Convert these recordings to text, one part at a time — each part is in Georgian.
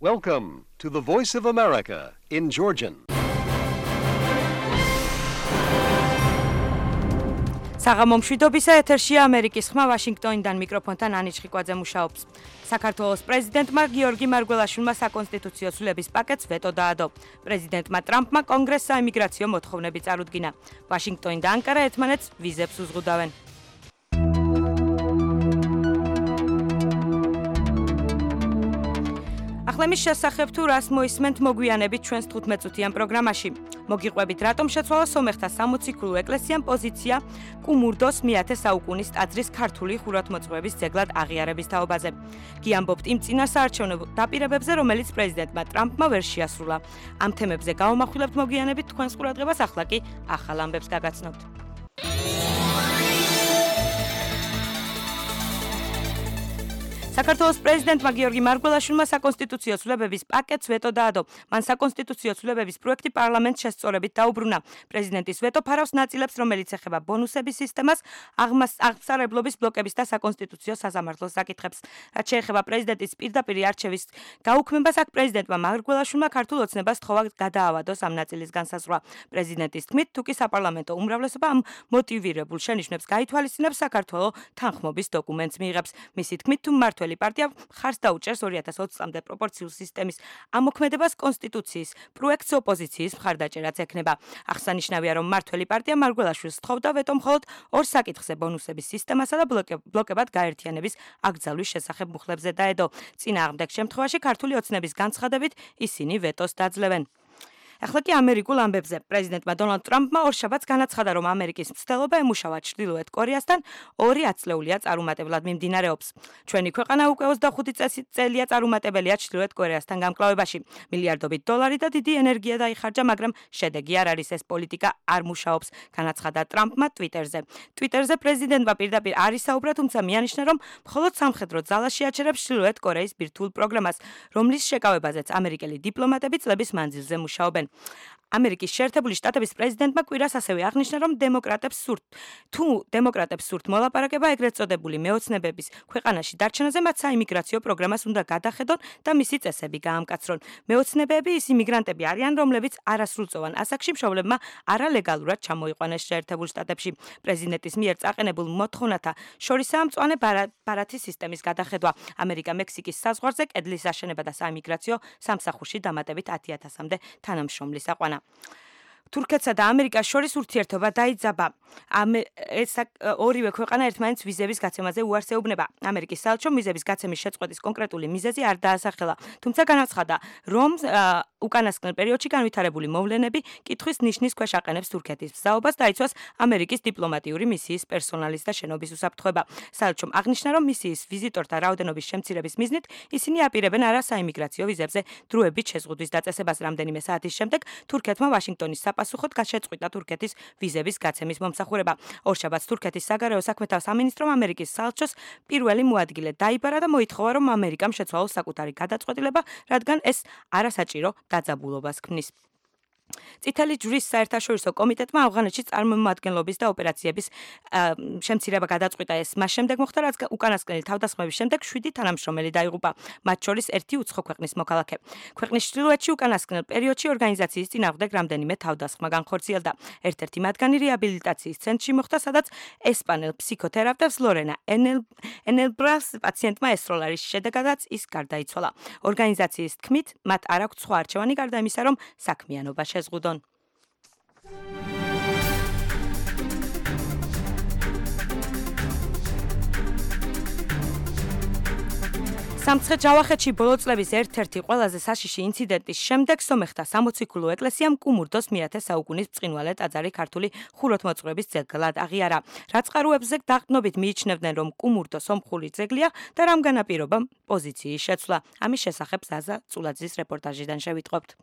Welcome to the Voice of America in Georgian. საღამომშვიდობისა ეთერშია ამერიკის ხმა ვაშინგტონიდან მიკროფონთან ანი ჩხიკვაძე მუშაობს. საქართველოს პრეზიდენტმა გიორგი მარგველაშვილმა საკონსტიტუციო ცვლილების პაკეტს ვეტო დაადო. პრეზიდენტმა ტრამპმა კონგრესს საიმიგრაციო მოთხოვნები წარუდგინა. ვაშინგტონი და ანკარა ერთმანეთს ვიზებს უზღუდავენ. ახლემის შესახებ თუ რას მოისმენთ მოგვიანებით ჩვენს 15-წუთიან პროგრამაში. მოგიყვებით რატომ შეცვალა სომეხთა 60 ქულუ ეკლესიამ პოზიცია კუმურდოს მე-10 საუკუნის ტაძრის ქართული ხუროთმოძღვების ძეგლად აღიარების თაობაზე. გიამბობთ იმ წინასაარჩევნო დაპირებებზე, რომელიც პრეზიდენტმა ტრამპმა ვერ შეასრულა. ამ თემებზე გავამახვილებთ მოგვიანებით თქვენს ყურადღებას, ახლა კი ახალ ამბებს გაგაცნობთ. საქართველოს პრეზიდენტმა გიორგი მარგველაშვილმა საკონსტიტუციო ცვლილებების პაკეტს ვეტო დაადო. მან საკონსტიტუციო ცვლილებების პროექტი პარლამენტს შესწორებით დაუბრუნა. პრეზიდენტის ვეტო ფარავს ნაწილებს, რომელიც ეხება ბონუსების სისტემას, აღმსარებლობის ბლოკების და საკონსტიტუციო სასამართლოს საკითხებს. რაც შეეხება პრეზიდენტის პირდაპირ არჩევის გაუქმებას, აქ პრეზიდენტმა მარგველაშვილმა ქართულ ოცნებას თხოვა გადაავადოს ამ ნაწილის განსაზღვრა. პრეზიდენტის თქმით, თუკი საპარლამენტო უმრავლესობა ამ მოტივირებულ შენიშვნებს გაითვალისწინებს, საქართველოს თანხმობის დოკუმენტს მიიღებს. მისი თქმით, თუ მმართველი პარტია ხარს დაუჭერს 2020 წლამდე პროპორციულ სისტემის ამოქმედებას კონსტიტუციის პროექტს ოპოზიციის მხარდაჭერაც ექნება. აღსანიშნავია, რომ მმართველი პარტია მარგველაშვილს თხოვდა ვეტო მხოლოდ ორ საკითხზე ბონუსების სისტემასა და ბლოკებად გაერთიანების აკრძალვის შესახებ მუხლებზე დაედო. წინააღმდეგ შემთხვევაში ქართული ოცნების განცხადებით ისინი ვეტოს დაძლევენ. ახლა კი ამერიკულ ამბებზე. პრეზიდენტმა დონალდ ტრამპმა ორშაბათს განაცხადა, რომ ამერიკის მცდელობა ემუშავა ჩრდილოეთ კორეასთან 2 ათწლეულია წარუმატებლად მიმდინარეობს. ჩვენი ქვეყანა უკვე 25 წელია წარუმატებელია ჩრდილოეთ კორეასთან გამკლავებაში. მილიარდობით დოლარი და დიდი ენერგია დაიხარჯა, მაგრამ შედეგი არ არის, ეს პოლიტიკა არ მუშაობს, განაცხადა ტრამპმა ტვიტერზე. ტვიტერზე პრეზიდენტმა პირდაპირ არ ისაუბრა, თუმცა მიანიშნა, რომ მხოლოდ სამხედრო ძალაში აჩერებს ჩრდილოეთ კორეის ბირთვულ პროგრამას, რომლის შეკავებაზეც ამერიკელი დიპლომატები წლების მანძილზე მუშაობენ. ამერიკის შეერთებული შტატების პრეზიდენტმა კვირას ასევე აღნიშნა, რომ დემოკრატებს სურთ მოლაპარაკება ეგრეთ წოდებული მეოცნებების ქვეყანაში დარჩენაზე, მათ საიმიგრაციო პროგრამას უნდა გადახედონ და მისი წესები გაამკაცრონ. მეოცნებები ის იმიგრანტები არიან, რომლებიც არასრულწლოვან ასაკში მშობლებმა არალეგალურად ჩამოიყვანეს შეერთებულ შტატებში. პრეზიდენტის მიერ წაყენებულ მოთხოვნათა შორისაა მწვანე ბარათის სისტემის გადახედვა. ამერიკა-მექსიკის საზღვარზე კედლის აშენება და საიმიგრაციო სამსახურში დამატებით 10,000-მდე თანამშრომლის აყვანა. თურქეთსა და ამერიკას შორის ურთიერთობა დაიძაბა. ორივე ქვეყანა ერთმანეთს ვიზების გაცემაზე უარს ეუბნება. ამერიკის საელჩომ ვიზების გაცემის შეწყვეტის კონკრეტული მიზეზი არ დაასახელა, თუმცა განაცხადა, რომ უკანასკნელ პერიოდში განვითარებული მოვლენები კითხვის ნიშნის ქვეშ აყენებს თურქეთის მზაობას დაიცვას ამერიკის დიპლომატიური მისიის პერსონალის და შენობის უსაფრთხოება. საელჩომ აღნიშნა, რომ მისიის ვიზიტორთა რაოდენობის შემცირების მიზნით ისინი აპირებენ არა საიმიგრაციო ვიზებზე დროებით შეზღუდვის დაწესებას. რამდენიმე საათის შემდეგ თურქეთმა ვაშინგტონის პასუხოდ გაშეწყვიტა თურქეთის ვიზების გაცემის მომსახურება. ორშაბათს თურქეთის საგარეო საქმეთა სამინისტრომ ამერიკის საელჩოს პირველი მოადგილე დაიბარა და მოითხოვა, რომ ამერიკამ შეცვალოს საკუთარი გადაწყვეტილება, რადგან ეს არასაჭირო დაძაბულობას ქმნის. წითელი ჯვრის საერთაშორისო კომიტეტმა ავღანეთში წარმომადგენლობის და ოპერაციების შემცირება გადაწყვიტა. ეს მას შემდეგ მოხდა, რაც უკანასკნელი თავდასხმების შემდეგ 7 თანამშრომელი დაიღუპა, მათ შორის 1 უცხო ქვეყნის მოქალაქე. ქვეყნის ჩრდილოეთში უკანასკნელ პერიოდში ორგანიზაციის წინააღმდეგ რამდენიმე თავდასხმა განხორციელდა. ერთ-ერთი მათგანი რეაბილიტაციის ცენტრში მოხდა, სადაც ესპანელ ფსიქოთერაპევტს ლორენა ენელბრას პაციენტმა ესროლა, რის შედეგადაც ის გარდაიცვალა. ორგანიზაციის თქმით, მათ არ აქვთ სხვა არჩევანი გარდა იმისა, რომ საქმიანობა ზღუდონ. სამცხე ჯავახეთში ბოლო წლების ერთ-ერთი ყველაზე საშიში ინციდენტის შემდეგ სომეხთა 60 ქულუ ეკლესიამ კუმურდოს მე-10 საუკუნის ბრწყინვალე ტაძარი ქართული ხუროთმოძღვების ძეგლად აღიარა. რაწყარუებზე დაყრდნობით მიიჩნევდნენ, რომ კუმურდო სომხური ძეგლია და რამ განაპირობა პოზიციის შეცვლა. ამის შესახებ ზაზა წულაძის რეპორტაჟიდან შევიტყობთ.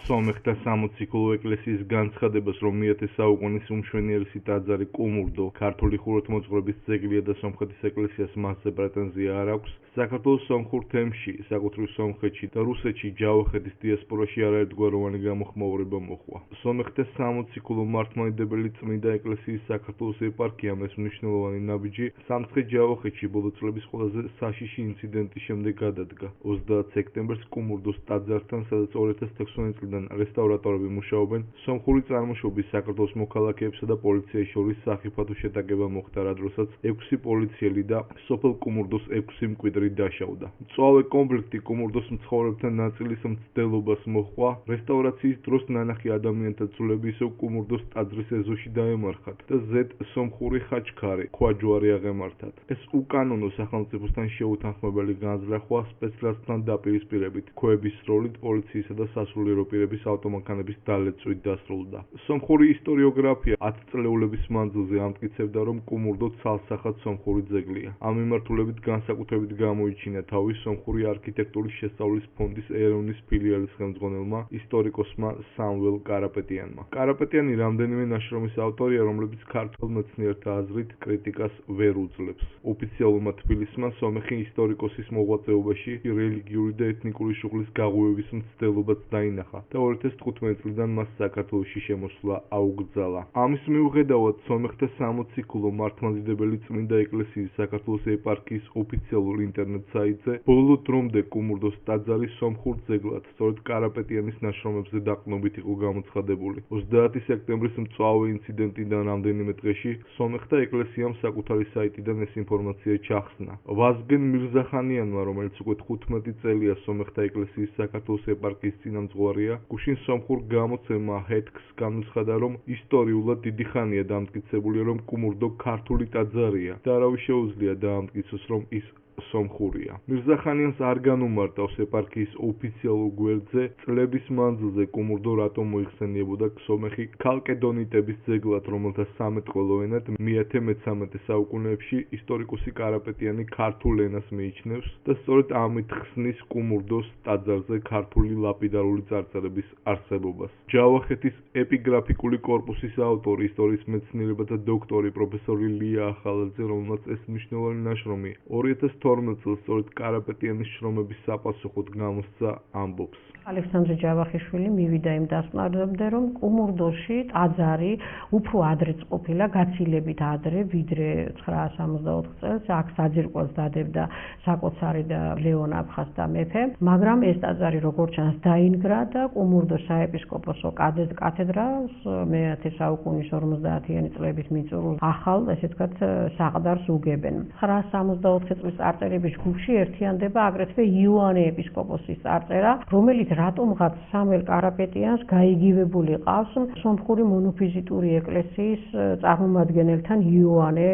სომეხთა სამოციქულო ეკლესიის განცხადებას, რომ მე-10 საუკუნის უმშვენიერესი ტაძარი კუმურდო ქართული ხუროთმოძღვრების ძეგლია და სომხეთის ეკლესიას მასზე პრეტენზია არ აქვს, საქართველოს სომხურ თემში, საკუთრივ სომხეთში და რუსეთში ჯავახეთის დიასპორაში არაერთგვაროვანი გამოხმაურება მოხდა. სომეხთა სამოციქულო მართლმადიდებელი წმინდა ეკლესიის საქართველოს ეპარქიამ ეს მნიშვნელოვანი ნაბიჯი სამცხე-ჯავახეთში ბოლო წლების ყველაზე საშიში ინციდენტის შემდეგ გადადგა. 30 სექტემბერს კუმურდოს ტაძართან, სადაც 2016 წლიდან რესტავრატორები მუშაობენ, სომხური წარმოშობის საქართველოს მოქალაქეებსა და პოლიციას შორის სახიფათო შეტაკება მოხდა, რა დროსაც 6 პოლიციელი და სოფელ კუმურდოს 6 მკვიდრი დაშავდა. მწვავე კონფლიქტი კუმურდოს მცხოვრებთა ნაწილის მცდელობას მოჰყვა, რესტავრაციის დროს ნანახი ადამიანთა ძვლები ისევ კუმურდოს ტაძრის ეზოში დაემარხათ და ზედ სომხური ხაჩქარი, ქვაჯვარი აღემართათ. ეს უკანონო სახელმწიფოსთან შეუთანხმებელი განზრახვა სპეცრაზთან დაპირისპირებით, ქვების როლით პოლიციისა და სასულიერო პირების ავტომანქანების დალეწვით დასრულდა. სომხური ისტორიოგრაფია 10 წლეულების მანძილზე ამტკიცებდა, რომ კუმურდო ცალსახად სომხური ძეგლია. ამ მიმართულებით განსაკუთრებით გამოიჩინა თავი სომხური არქიტექტურის შესწავლის ფონდის ერევნის ფილიალის ხელმძღვანელმა ისტორიკოსმა სამվել კარაპეტიანმა. კარაპეტიანი რამდენიმე ნაშრომის ავტორია, რომლებიც ქართველ მეცნიერთა აზრით კრიტიკას ვერ უძლებს. ოფიციალურმა თბილისმა სომეხი ისტორიკოსის მოღვაწეობაში რელიგიური და ეთნიკური შუღლის გაღვივების მცდელობაც დაინახა და 2015 წლიდან მას საქართველოში შემოსვლა აუგრძალა. ამის მიუხედავად სომეხთა სამოციქულო მართლმადიდებელი წმინდა ეკლესიის საქართველოს ეპარქიის ოფიციალურ ინტერნეტ საიტზე ბოლო დრომდე კუმურდოს ტაძარი სომხურ ძეგლად სწორედ კარაპეტიანის ნაშრომებზე დაყრდნობით იყო გამოცხადებული. 30 სექტემბრის მწვავე ინციდენტიდან რამდენიმე დღეში სომეხთა ეკლესიამ საკუთარი საიტიდან ეს ინფორმაცია ჩახსნა. ვაზგენ მირზახანიანმა, რომელიც უკვე 15 წელია სომეხთა ეკლესიის საქართველოს ეპარქიის წინამძღვარია, გუშინ სომხურ გამოცემა ჰეთქს განუცხადა, რომ ისტორიულად დიდი ხანია დამტკიცებული, რომ კუმურდო ქართული ტაძარია და არავის შეუძლია დაამტკიცოს, რომ ის სომხურია. მირზახანიანს არ განუმარტავს ეპარქიის ოფიციალურ გვერდზე წლების მანძილზე კუმურდო რატომ მოიხსენიებოდა სომეხი ქალკედონიტების ძეგლად, რომელთა სამეტყველო ენად მე-13 საუკუნეებში ისტორიკოსი კარაპეტიანი ქართულ ენას მიიჩნევს და სწორედ ამით ხსნის კუმურდოს ტაძარზე ქართული ლაპიდარული წარწერების არსებობას. ჯავახეთის ეპიგრაფიკული კორპუსის ავტორი, ისტორიის მეცნიერებათა დოქტორი პროფესორი ლია ახალაძე, რომელმაც ეს მნიშვნელოვანი ნაშრომი 2012 წელს სწორედ კარაპეტიანის შრომების საპასუხოდ გამოსცა, ამბობს. ალექსანდრე ჯავახიშვილი მივიდა იმ დასკვნამდე, რომ კუმურდოში ტაძარი უფრო ადრე ყოფილა, გაცილებით ადრე, ვიდრე 964 წელს, აქ საძირკველს დადებდა საკოცარი და ლეონ აფხაზთა მეფე, მაგრამ ეს ტაძარი როგორც ჩანს დაინგრა და კუმურდოს საეპისკოპოსო კათედრალს მე-10 საუკუნის 50-იანი წლების მიწურულს ახალ, ესე ვთქვათ, საყდარს უგებენ. 964 წლის წარწერების ჯგუფში ერთიანდება აგრეთვე იოანე ეპისკოპოსის წარწერა, რომელიც რატომღაც სამველ კარაპეტიანს გაიგივებული ყავს სომხური მონოფიზიტური ეკლესიის წარმომადგენელთან იოანე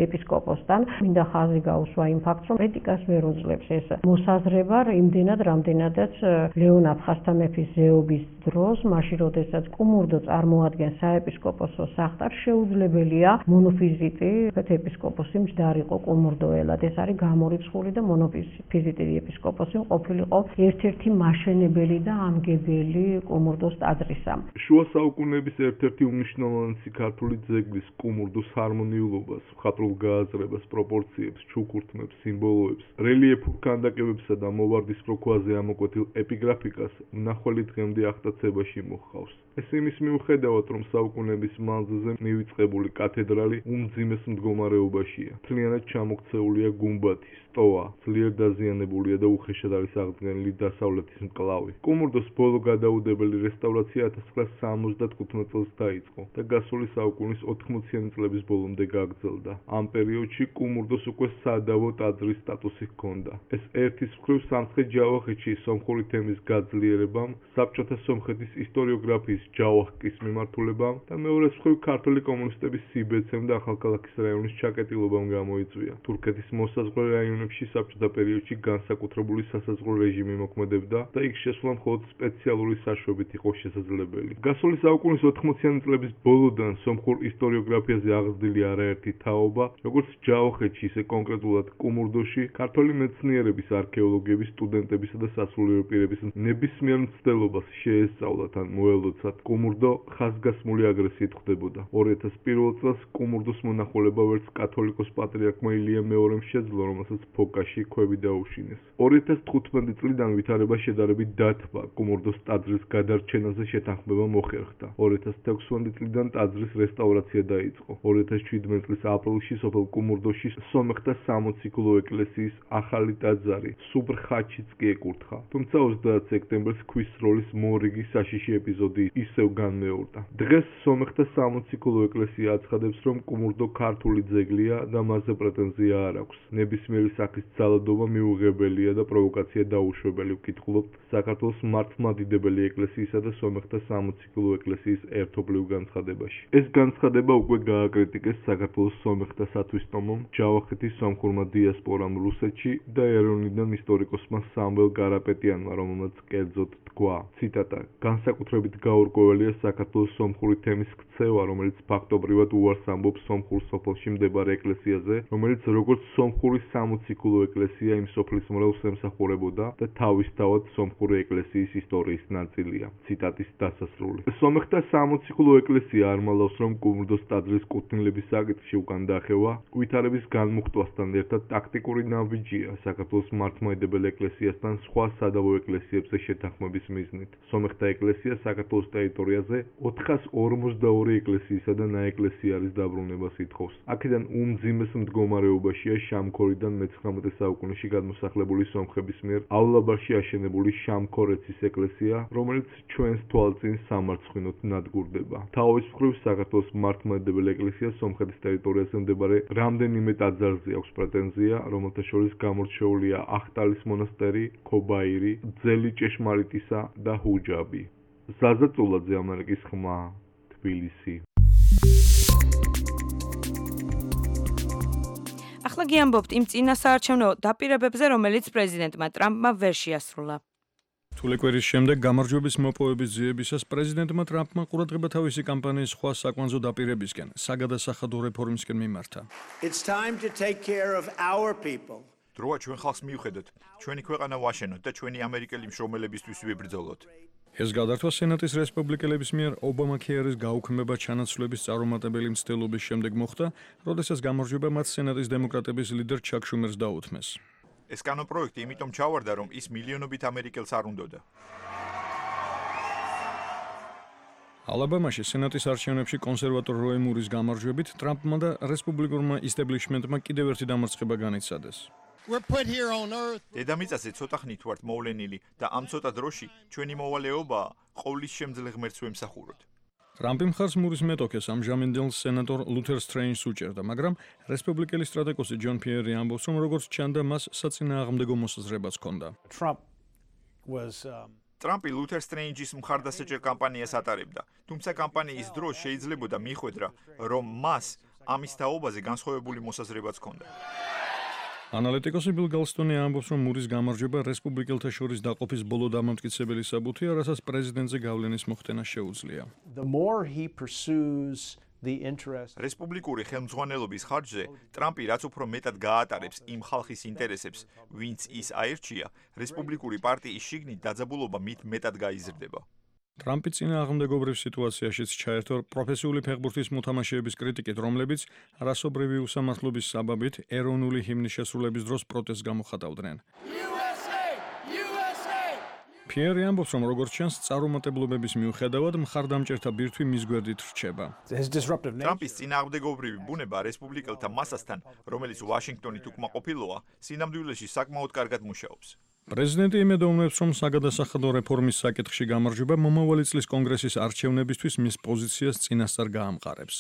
ეპისკოპოსთან. მინდა ხაზი გაუსვა იმ ფაქტს, რომ კრიტიკას ვერ უძლებს ეს მოსაზრება იმდენად, რამდენადაც ლეონ აფხაზთა მეფის ზეობის დროს, მაშინ როდესაც კუმურდო წარმოადგენს საეპისკოპოსო საყდარს, შეუძლებელია მონოფიზიტი ეპისკოპოსი მჯდარიყო კუმურდოელად. ეს არის გამორიცხული და მონოფიზიტი ეპისკოპოსი ყოფილიყო ერთ-ერთი მაშენებელი და ამგებელი კუმურდოს ტაძრისა. შუა საუკუნეების ერთ-ერთი უმნიშვნელოვანესი ქართული ძეგლის კუმურდოს ჰარმონიულობას, მხატვრულ გააზრებას, პროპორციებს, ჩუქურთმებს, სიმბოლოებს, რელიეფურ ქანდაკებებსა და მოვარდისფრო ქვაზე ამოკვეთილ ეპიგრაფიკას მნახველი დღემდე აღტაცებაში მოჰყავს. ეს იმის მიუხედავად, რომ საუკუნეების მანძილზე მივიწყებული კათედრალი უმძიმეს მდგომარეობაშია. მთლიანად ჩამოქცეულია გუმბათი, სტოა, ძლიერ დაზიანებულია და უხეშად არის აღდგენილი დასავლეთის მკლავი. კუმურდოს ბოლო გადაუდებელი რესტავრაცია 1975 წელს დაიწყო და გასული საუკუნის 80-იანი წლების ბოლომდე გაგრძელდა. ამ პერიოდში კუმურდოს უკვე სადავო ტაძრის სტატუსი ჰქონდა. ეს ერთის მხრივ სამცხე-ჯავახეთში სომხური თემის გაძლიერებამ, საბჭოთა სომხეთის ისტორიოგრაფიის ჯავახკის მიმართულებამ და მეორეს მხრივ ქართული კომუნისტების სიბეცემ და ახალქალაქის რაიონის ჩაკეტილობამ გამოიწვია. თურქეთის მოსაზღვრე რაიონებში ქვეყნებში საბჭოთა პერიოდში განსაკუთრებული სასაზღვრო რეჟიმი მოქმედებდა და იქ შესვლა მხოლოდ სპეციალური საშვებით იყო შესაძლებელი. გასული საუკუნის 80-იანი წლების ბოლოდან სომხურ ისტორიოგრაფიაზე აღზრდილი არაერთი თაობა, როგორც ჯავახეთში, ისე კონკრეტულად კუმურდოში, ქართველი მეცნიერების, არქეოლოგების, სტუდენტებისა და სასულიერო პირების ნებისმიერ მცდელობას შეესწავლათ ან მოელოცათ, კუმურდო ხაზგასმული აგრესიით ხვდებოდა. 2001 წელს კუმურდოს მონახულება ვერც კათოლიკოს პატრიარქმა ილია მეორემ შეძლო, რომელსაც ფოკაში ქვევი დაუშინეს. 2015 წლიდან ვითარება შედარებით დათბა, კუმურდოს ტაძრის გადარჩენაზე შეთანხმება მოხერხდა. 2016 წლიდან ტაძრის რესტავრაცია დაიწყო. 2017 წლის აპრილში სოფელ კუმურდოში სომეხთა სამოციქულო ეკლესიის ახალი ტაძარი სუბრხაჩიც კი ეკურთხა. თუმცა 30 სექტემბერს ქვის როლის მორიგი საშიში ეპიზოდი ისევ განმეორდა. დღეს სომეხთა სამოციქულო ეკლესია აცხადებს, რომ კუმურდო ქართული ძეგლია და მასზე პრეტენზია არ აქვს. ნებისმიერი სახის ძალადობა მიუღებელია და პროვოკაცია დაუშვებელი, ვკითხულობთ საქართველოს მართლმადიდებელი ეკლესიისა და სომეხთა სამოციქულო ეკლესიის ერთობლივ განცხადებაში. ეს განცხადება უკვე გააკრიტიკეს საქართველოს სომეხთა სათვისტომომ, ჯავახეთის სომხურმა დიასპორამ რუსეთში და ეროვნიდან ისტორიკოსმა სამվել კარაპეტიანმა, რომელმაც კერძოდ თქვა, ციტატა, განსაკუთრებით გაურკვეველია საქართველოს სომხური თემის ქცევა, რომელიც ფაქტობრივად უარს ამბობს სომხურ სოფელში მდებარე ეკლესიაზე, რომელიც როგორც სომხური სამოციქულო ეკლესია იმ სოფლის მრევლს ემსახურებოდა და თავისთავად სომხური ეკლესიის ისტორიის ნაწილია. ციტატის დასასრული. სომეხთა სამოციქულო ეკლესია არ მალავს, რომ კუმურდოს ტაძრის კუთვნილების საკითხში უკან დაახევა, ვითარების განმუხტვასთან ერთად ტაქტიკური ნაბიჯია საქართველოს მართლმადიდებელ ეკლესიასთან სხვა სადავო ეკლესიებზე შეთანხმების მიზნით. სომეხთა ეკლესია საქართველოს ტერიტორიაზე 442 ეკლესიისა და ნაეკლესიარის დაბრუნებას ითხოვს. აქედან უმძიმეს მდგომარეობაშია შამქორიდან მე-19 საუკუნეში გადმოსახლებული სომხების მიერავლაბარში აშენებული შამქორეცის ეკლესია, რომელიც ჩვენს თვალწინ სამარცხვინოდ ნადგურდება. თავის მხრივ საქართველოს მართლმადიდებელ ეკლესიას სომხეთის ტერიტორიაზე მდებარე რამდენიმე ტაძარზე აქვს პრეტენზია, რომელთა შორის გამორჩეულია ახტალის მონასტერი, ქობაირი, ძელი ჭეშმარიტისა და ჰუჯაბი. ზაზა წულაძე, ამერიკის ხმა, თბილისი. ახლა გიამბობთ იმ წინასაარჩევნო დაპირებებზე, რომელიც პრეზიდენტმა ტრამპმა ვერ შეასრულა. თულე კვირის შემდეგ გამარჯვების მოპოვების ძიებისას პრეზიდენტმა ტრამპმა ყურადღება თავისი კამპანიის სხვა საკვანძო დაპირებისკენ, საგადასახადო რეფორმისკენ მიმართა. It's time to take care of our people. დროა ჩვენ ხალხს მივხედოთ, ჩვენი ქვეყანა ვაშენოთ და ჩვენი ამერიკელი მშრომელებისთვის ვიბრძოლოთ. ეს გადართვა სენატის რესპუბლიკელების მიერ ობამაქერის გაუქმება ჩანაცვლების წარუმატებელი მცდელობის შემდეგ მოხდა, როდესაც გამარჯვება მათ სენატის დემოკრატების ლიდერ ჩაკ შუმერს დაუთმეს. ეს კანონპროექტი იმიტომ ჩავარდა, რომ ის მილიონობით ამერიკელს არ უნდოდა. ალაბამაში სენატის არჩევნებში კონსერვატორ როი მურის გამარჯვებით ტრამპმა და რესპუბლიკურმა ისტაბლიშმენტმა კიდევ ერთი დამარცხება განიცადეს. დედამიწაზე ცოტა ხნით ვართ მოვლენილი და ამ ცოტა დროში ჩვენი მოვალეობაა ყოვლის შემძლე ღმერთს ვემსახუროთ. ტრამპი მხარს მურის მეტოქეს ამჟამინდელ სენატორ ლუთერ სტრეინჯს უჭერდა, მაგრამ რესპუბლიკელი სტრატეგოსი ჯონ ფიერი ამბობს, რომ როგორც ჩანდა, მას საწინააღმდეგო მოსაზრებაც ჰქონდა. ტრამპი ლუთერ სტრეინჯის მხარდასაჭერ კამპანიას ატარებდა, თუმცა კამპანიის დროს შეიძლებოდა მიხვედრა, რომ მას ამის თაობაზე განსხვავებული მოსაზრებაც ჰქონდა. ანალიტიკოსი ბილ გალსტონი ამბობს, რომ მურის გამარჯვება რესპუბლიკელთა შორის დაყოფის ბოლო დამამტკიცებელი საბუთია, რასაც პრეზიდენტზე გავლენის მოხდენა შეუძლია. რესპუბლიკური ხელმძღვანელობის ხარჯზე ტრამპი რაც უფრო მეტად გაატარებს იმ ხალხის ინტერესებს, ვინც ის აირჩია, რესპუბლიკური პარტიის შიგნით დაძაბულობა მით მეტად გაიზრდება. ტრამპი წინააღმდეგობრივ სიტუაციაშიც ჩაერთო პროფესიული ფეხბურთის მოთამაშეების კრიტიკით, რომლებიც რასობრივი უსამართლობის საბაბით ეროვნული ჰიმნის შესრულების დროს პროტესტს გამოხატავდნენ. ფიერი ამბობს, რომ როგორც ჩანს, წარუმატებლობების მიუხედავად მხარდამჭერთა ბირთვი მის გვერდით რჩება. ტრამპის წინააღმდეგობრივი ბუნება რესპუბლიკელთა მასასთან, რომელიც ვაშინგტონით უკმაყოფილოა, სინამდვილეში საკმაოდ კარგად მუშაობს. პრეზიდენტი იმედოვნებს, რომ საგადასახადო რეფორმის საკითხში გამარჯვება მომავალი წლის კონგრესის არჩევნებისთვის მის პოზიციას წინასწარ გაამყარებს.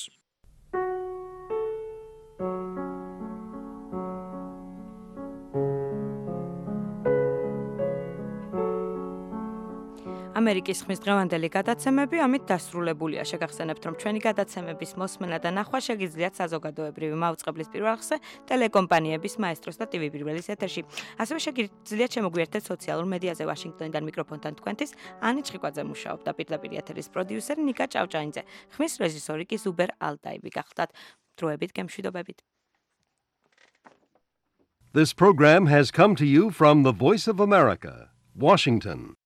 ამერიკის ხმის დღევანდელი გადაცემები ამით დასრულებულია. შეგახსენებთ, რომ ჩვენი გადაცემების მოსმენა და ნახვა შეგიძლიათ საზოგადოებრივი მაუწყებლის პირველ ხსზე, ტელეკომპანიების მაესტროს და TV პირველის ეთერში. ასევე შეგიძლიათ შემოგვიერთდეთ სოციალურ მედიაზე. ვაშინგტონიდან მიკროფონთან თქვენთვის ანი ჭყიკვაძე მუშაობდა, პირდაპირ ეთერის პროდიუსერი ნიკა ჭავჭანიძე, ხმის რეჟისორი კი ზუბერ ალტაიბი გახლდათ. დროებით გემშვიდობებით. This program has come to you from the Voice of America, Washington.